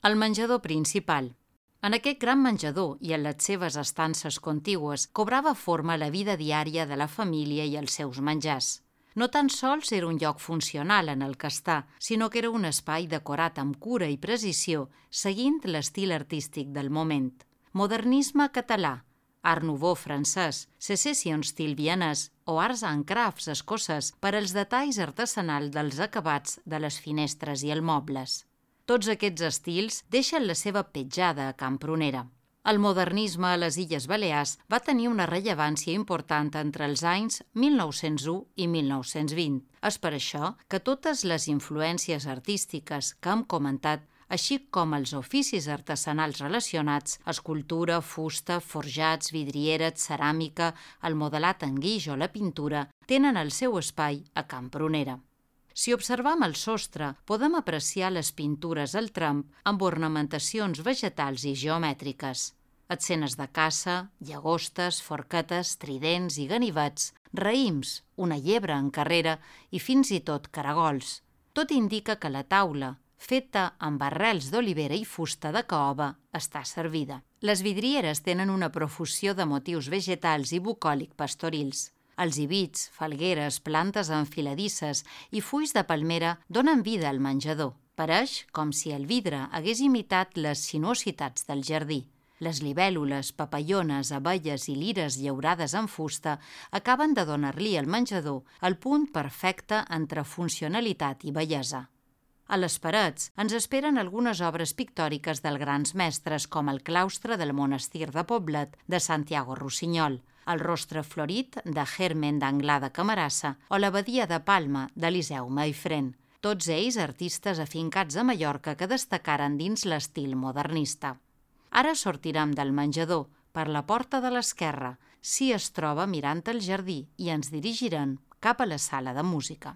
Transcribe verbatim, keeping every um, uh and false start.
El menjador principal. En aquest gran menjador i en les seves estances contigües cobrava forma la vida diària de la família i els seus menjars. No tan sols era un lloc funcional en el que estar, sinó que era un espai decorat amb cura i precisió, seguint l'estil artístic del moment. Modernisme català, Art Nouveau francès, Secession Stil vienès o Arts and Crafts escocès per als detalls artesanals dels acabats de les finestres i els mobles. Tots aquests estils deixen la seva petjada a Can Prunera. El modernisme a les Illes Balears va tenir una rellevància important entre els anys mil nou-cents u i mil nou-cents vint. És per això que totes les influències artístiques que hem comentat, així com els oficis artesanals relacionats, escultura, fusta, forjats, vidrieres, ceràmica, el modelat en guix o la pintura, tenen el seu espai a Can Prunera. Si observam el sostre, podem apreciar les pintures al tram amb ornamentacions vegetals i geomètriques. Escenes de caça, llagostes, forquetes, tridents i ganivets, raïms, una llebre en carrera i fins i tot caragols. Tot indica que la taula, feta amb arrels d'olivera i fusta de caoba, està servida. Les vidrieres tenen una profusió de motius vegetals i bucòlic pastorils. Els hibits, falgueres, plantes enfiladisses i fulls de palmera donen vida al menjador. Pareix com si el vidre hagués imitat les sinuositats del jardí. Les libèl·lules, papallones, abelles i lires llaurades en fusta acaben de donar-li al menjador el punt perfecte entre funcionalitat i bellesa. A les parets ens esperen algunes obres pictòriques dels grans mestres com el claustre del monestir de Poblet de Santiago Rossinyol, el rostre florit de Germen d'Anglada Camarassa o l'abadia de Palma d'Eliseu Maifrén, tots ells artistes afincats a Mallorca que destacaren dins l'estil modernista. Ara sortirem del menjador per la porta de l'esquerra, si es troba mirant el jardí, i ens dirigirem cap a la sala de música.